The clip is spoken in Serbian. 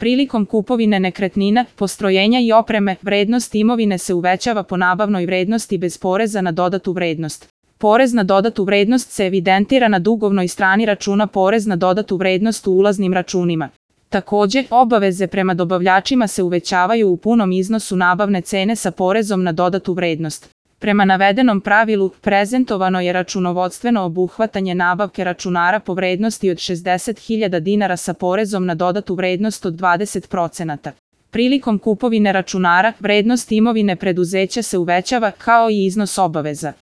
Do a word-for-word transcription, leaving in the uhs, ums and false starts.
Prilikom kupovine nekretnina, postrojenja i opreme, vrednost imovine se uvećava po nabavnoj vrednosti bez poreza na dodatu vrednost. Porez na dodatu vrednost se evidentira na dugovnoj strani računa porez na dodatu vrednost u ulaznim računima. Takođe, obaveze prema dobavljačima se uvećavaju u punom iznosu nabavne cene sa porezom na dodatu vrednost. Prema navedenom pravilu, prezentovano je računovodstveno obuhvatanje nabavke računara po vrednosti od šezdeset hiljada dinara sa porezom na dodatu vrednost od dvadeset procenata. Prilikom kupovine računara, vrednost imovine preduzeća se uvećava kao i iznos obaveza.